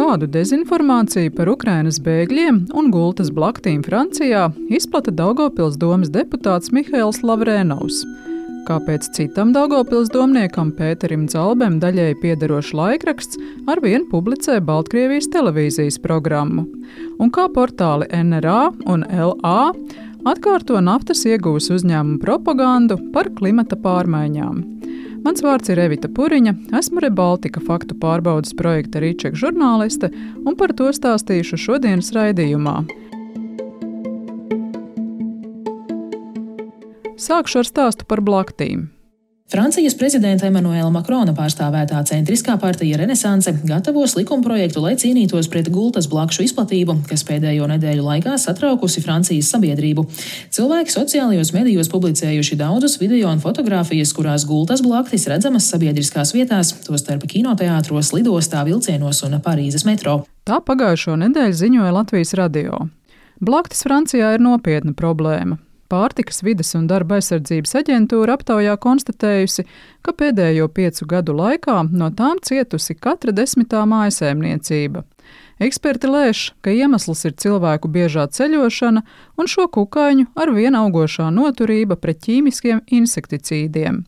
Kādu dezinformāciju par Ukrainas bēgļiem un gultas blaktīm Francijā izplata Daugavpils domes deputāts Mihails Lavrenovs. Kāpēc citam Daugavpils domniekam Pēterim Dzalbem daļēji piederošs laikraksts arvien publicē Baltkrievijas televīzijas programmu? Un kā portāli NRA un LA atkārto naftas ieguves uzņēmumu propagandu par klimata pārmaiņām? Mans vārds ir Evita Puriņa, esmu Rebaltika faktu pārbaudes projekta Rīčeka žurnāliste un par to stāstīšu šodienas raidījumā. Sākšu ar stāstu par blaktīm. Francijas prezidenta Emanuela Makrona pārstāvētā centriskā partija Renesanse gatavos likumprojektu, lai cīnītos pret gultas blakšu izplatību, kas pēdējo nedēļu laikā satraukusi Francijas sabiedrību. Cilvēki sociālajos medijos publicējuši daudzus video un fotogrāfijas, kurās gultas blaktis redzamas sabiedriskās vietās, tostarp kinoteātros, lidostā, vilcienos un Parīzes metro. Tā pagājušo nedēļu ziņoja Latvijas radio. Blaktis Francijā ir nopietna problēma. Pārtikas, vides un darba aizsardzības aģentūra aptaujā konstatējusi, ka pēdējo 5 gadu laikā no tām cietusi katra 10. mājsaimniecība. Eksperti lēš, ka iemesls ir cilvēku biežā ceļošana un šo kukaiņu ar vien augošā noturība pret ķīmiskiem insekticīdiem.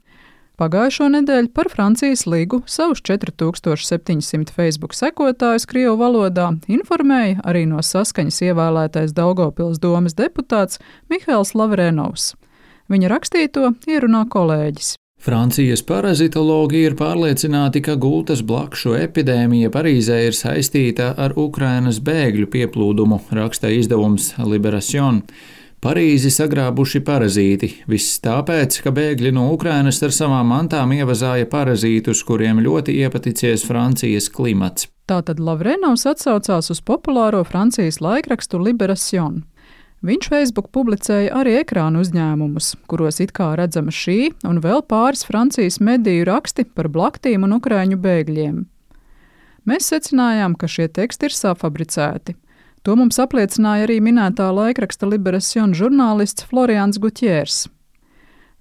Pagājušo nedēļu par Francijas Ligu savus 4700 Facebook sekotājus krievu valodā informēja arī no Saskaņas ievēlētais Daugavpils domes deputāts Mihails Lavrenovs. Viņa rakstīto ierunā kolēģis. Francijas parazitologi ir pārliecināti, ka gultas blakšu epidēmija Parīzē ir saistīta ar Ukrainas bēgļu pieplūdumu, raksta izdevums Libération. Parīzi sagrābuši parazīti, viss tāpēc, ka bēgļi no Ukrainas ar savām mantām ievazāja parazītus, kuriem ļoti iepaticies Francijas klimats. Tātad Lavrenovs atsaucās uz populāro Francijas laikrakstu Libération. Viņš Facebook publicēja arī ekrānu uzņēmumus, kuros it kā redzama šī un vēl pāris Francijas mediju raksti par blaktīm un ukraiņu bēgļiem. Mēs secinājām, ka šie teksti ir safabricēti. To mums apliecināja arī minētā laikraksta Libération žurnālists Florians Gutjērs.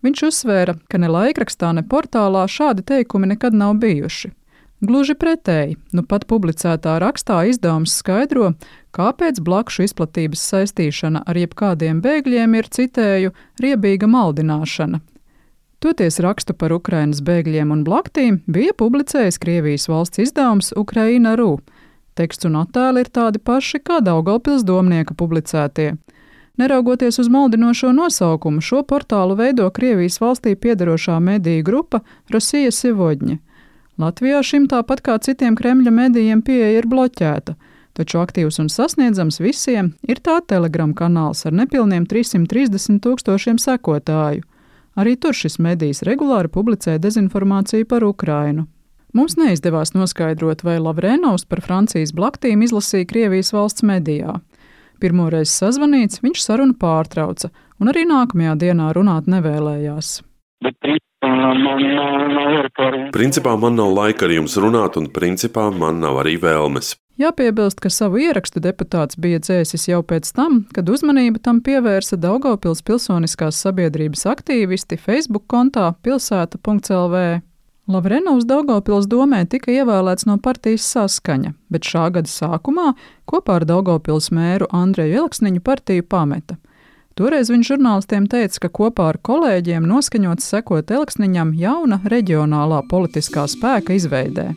Viņš uzsvēra, ka ne laikrakstā, ne portālā šādi teikumi nekad nav bijuši. Gluži pretēji, nu pat publicētā rakstā izdevums skaidro, kāpēc blakšu izplatības saistīšana ar jebkādiem bēgļiem ir, citēju, riebīga maldināšana. Toties rakstu par Ukrainas bēgļiem un blaktīm bija publicējis Krievijas valsts izdevums Ukraina.ru. Teksts un attēli ir tādi paši kā Daugavpils domnieka publicētie. Neraugoties uz maldinošo nosaukumu, šo portālu veido Krievijas valstī piederošā mediju grupa Rossija Sevodņa. Latvijā šim tāpat kā citiem Kremļa medijiem pieeja ir bloķēta, taču aktīvs un sasniedzams visiem ir tā Telegram kanāls ar nepilniem 330 000 sekotāju. Arī tur šis medijs regulāri publicē dezinformāciju par Ukrainu. Mums neizdevās noskaidrot, vai Lavrenovs par Francijas blaktīm izlasīja Krievijas valsts medijā. Pirmoreiz sazvanīts, viņš sarunu pārtrauca, un arī nākamajā dienā runāt nevēlējās. Principā man nav laika ar jums runāt, un principā man nav arī vēlmes. Jāpiebilst, ka savu ierakstu deputāts bija dzēsis jau pēc tam, kad uzmanību tam pievērsa Daugavpils pilsoniskās sabiedrības aktīvisti Facebook kontā pilsēta.lv. Lavrenovs Daugavpils domē tika ievēlēts no partijas Saskaņa, bet šā gada sākumā kopā ar Daugavpils mēru Andreju Elksniņu partiju pameta. Toreiz viņš žurnālistiem teica, ka kopā ar kolēģiem noskaņots sekot Elksniņam jauna reģionālā politiskā spēka izveidē.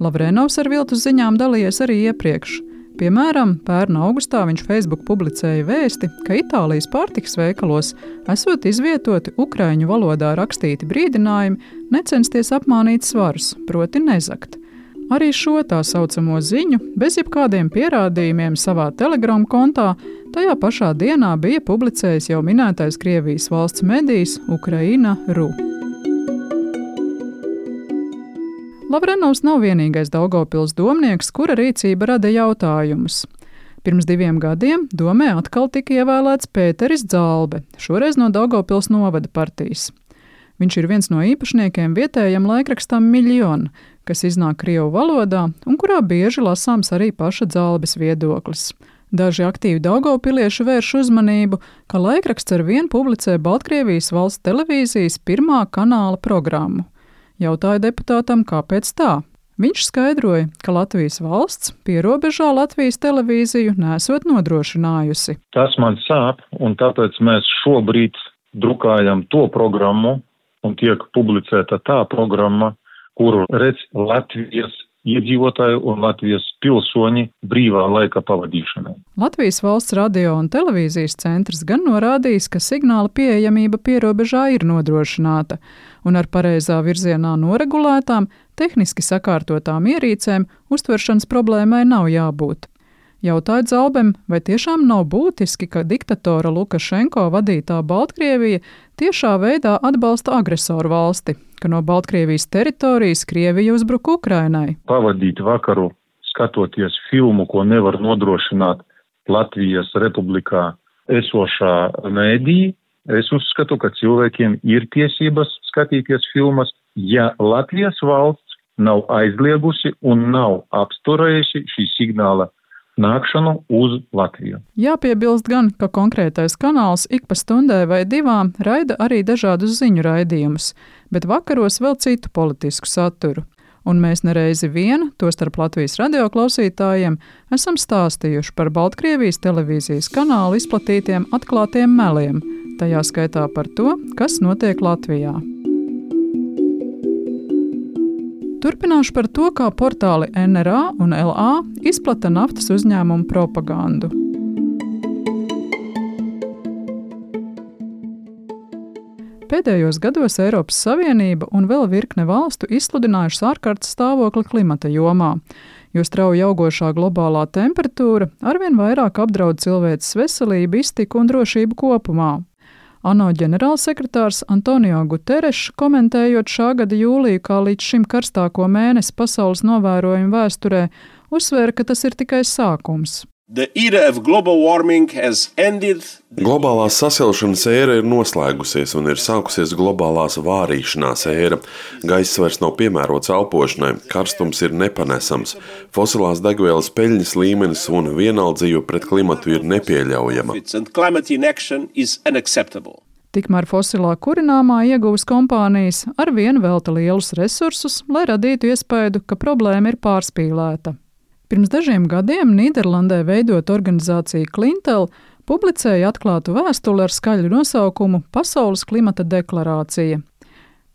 Lavrenovs ar viltus ziņām dalījies arī iepriekš. Piemēram, pērna augustā viņš Facebook publicēja vēsti, ka Itālijas pārtikas veikalos esot izvietoti ukraiņu valodā rakstīti brīdinājumi necensties apmānīt svarus, proti nezakt. Arī šo tā saucamo ziņu, bez jebkādiem pierādījumiem savā Telegram kontā, tajā pašā dienā bija publicējis jau minētais Krievijas valsts medijs Ukraina.ru. Lavrenovs nav vienīgais Daugavpils domnieks, kura rīcība rada jautājumus. Pirms 2 gadiem domē atkal tika ievēlēts Pēteris Dzalbe, šoreiz no Daugavpils novada partijas. Viņš ir viens no īpašniekiem vietējam laikrakstam Miljona, kas iznāk krievu valodā un kurā bieži lasāms arī paša Dzalbes viedoklis. Daži aktīvi daugavpilieši vērš uzmanību, ka laikraksts ar vien publicē Baltkrievijas valsts televīzijas 1. kanāla programmu. Jautāja deputātam, kāpēc tā. Viņš skaidroja, ka Latvijas valsts pierobežā Latvijas televīziju nesot nodrošinājusi. Tas man sāp, un tāpēc mēs šobrīd drukājam to programmu, un tiek publicēta tā programma, kuru redz Latvijas iedzīvotāju un Latvijas pilsoņi brīvā laika pavadīšanai. Latvijas valsts radio un televīzijas centrs gan norādījis, ka signāla pieejamība pierobežā ir nodrošināta, un ar pareizā virzienā noregulētām, tehniski sakārtotām ierīcēm uztveršanas problēmai nav jābūt. Jautāja Zalbem, vai tiešām nav būtiski, ka diktatora Lukašenko vadītā Baltkrievija tiešā veidā atbalsta agresoru valsti, ka no Baltkrievijas teritorijas Krievija uzbruka Ukrainai. Pavadīt vakaru skatoties filmu, ko nevar nodrošināt Latvijas republikā esošā mēdī, es uzskatu, ka cilvēkiem ir tiesības skatīties filmas, ja Latvijas valsts nav aizliegusi un nav apsturējusi šī signāla nākšanu uz Latviju. Jāpiebilst gan, ka konkrētais kanāls ik pa stundai vai divām raida arī dažādus ziņu raidījumus, bet vakaros vēl citu politisku saturu. Un mēs nereizi vien, tostarp Latvijas radio klausītājiem, esam stāstījuši par Baltkrievijas televīzijas kanālu izplatītiem atklātiem meliem, tajā skaitā par to, kas notiek Latvijā. Turpināšu par to, kā portāli NRA un LA izplata naftas uzņēmumu propagandu. Pēdējos gados Eiropas Savienība un vēl virkne valstu izsludinājušas ārkārtas stāvokli klimata jomā, jo strauji augošā globālā temperatūra arvien vairāk apdraud cilvēces veselību, iztiku un drošību kopumā. ANO ģenerālsekretārs Antonio Guterres, komentējot šā gada jūliju kā līdz šim karstāko mēnesi pasaules novērojumu vēsturē, uzsvēra, ka tas ir tikai sākums. Globālās sasilšanas ēra ir noslēgusies un ir sākusies globālās vārīšanās ēra. Gaiss vairs nav piemērots elpošanai, karstums ir nepanesams, fosilās degvielas peļņas līmenis un vienaldzība pret klimatu ir nepieļaujama. Tikmēr fosilā kurināmā ieguves kompānijas arvien velta lielus resursus, lai radītu iespaidu, ka problēma ir pārspīlēta. Pirms dažiem gadiem Nīderlandē veidot organizācija Clintel publicēja atklātu vēstuli ar skaļu nosaukumu Pasaules klimata deklarācija.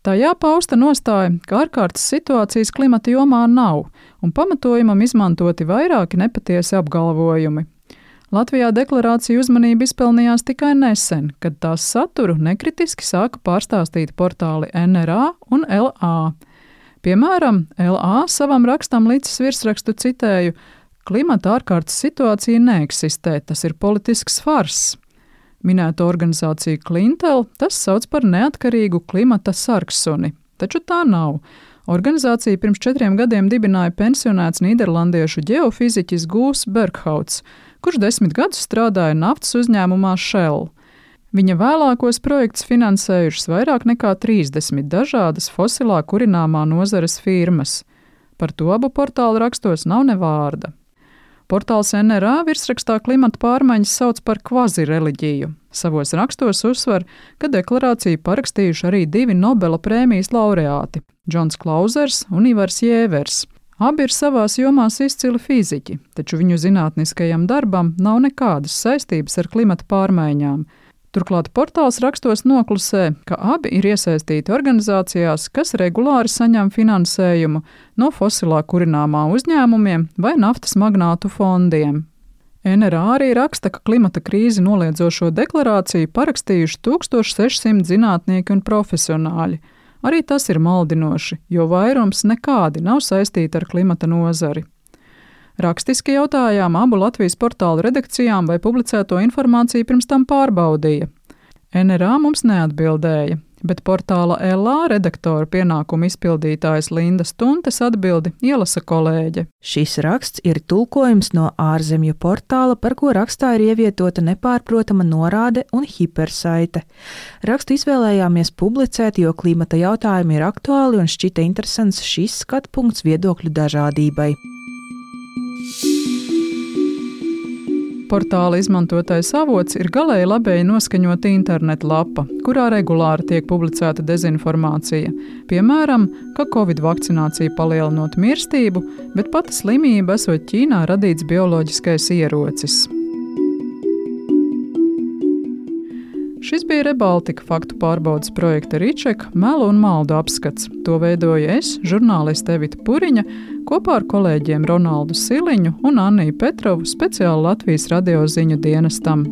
Tajā pausta nostāja, ka ārkārtas situācijas klimata jomā nav, un pamatojumam izmantoti vairāki nepatiesi apgalvojumi. Latvijā deklarācija uzmanību izpelnījās tikai nesen, kad tās saturu nekritiski sāka pārstāstīt portāli NRA un LA. Piemēram, LA savam rakstam līdz virsrakstu citēju: klimata ārkārtas situācija neeksistē, tas ir politisks fars. Minēto organizāciju Clintel tas sauc par neatkarīgu klimata sargsuni, taču tā nav. Organizāciju pirms 4 gadiem dibināja pensionēts nīderlandiešu ģeofiziķis Gūs Berghauts, kurš 10 gadus strādāja naftas uzņēmumā Shell. Viņa vēlākos projektus finansējušas vairāk nekā 30 dažādas fosilā kurināmā nozares firmas. Par to abu portālu rakstos nav ne vārda. Portāls NRA virsrakstā klimata pārmaiņas sauc par kvazireliģiju. Savos rakstos uzsver, ka deklarāciju parakstījuši arī 2 Nobela prēmijas laureāti – Džons Klauzers un Ivars Jēvers. Abi ir savās jomās izcili fiziķi, taču viņu zinātniskajam darbam nav nekādas saistības ar klimata pārmaiņām. Turklāt portāls rakstos noklusē, ka abi ir iesaistīti organizācijās, kas regulāri saņem finansējumu no fosilā kurināmā uzņēmumiem vai naftas magnātu fondiem. NRA arī raksta, ka klimata krīzi noliedzošo deklarāciju parakstījuši 1600 zinātnieki un profesionāļi. Arī tas ir maldinoši, jo vairums nekādi nav saistīti ar klimata nozari. Rakstiski jautājām abu Latvijas portālu redakcijām, vai publicēto informāciju pirms tam pārbaudīja. NRA mums neatbildēja, bet portāla LA redaktora pienākumu izpildītājas Linda Stuntes atbildi ielasa kolēģe. Šis raksts ir tulkojums no ārzemju portāla, par ko rakstā ir ievietota nepārprotama norāde un hipersaite. Rakstu izvēlējāmies publicēt, jo klimata jautājumi ir aktuāli un šķita interesants šis skatpunkts viedokļu dažādībai. Portāla izmantotais avots ir galēji labēji noskaņota interneta lapa, kurā regulāri tiek publicēta dezinformācija. Piemēram, ka Covid vakcinācija palielinot mirstību, bet pati slimība esot Ķīnā radīts bioloģiskais ierocis. Šis bija Rebaltika faktu pārbaudes projekta Ričeka melu un maldu apskats. To veidoju es, žurnāliste Evita Puriņa, kopā ar kolēģiem Ronaldu Siliņu un Anniju Petrovu speciāli Latvijas radio ziņu dienestam.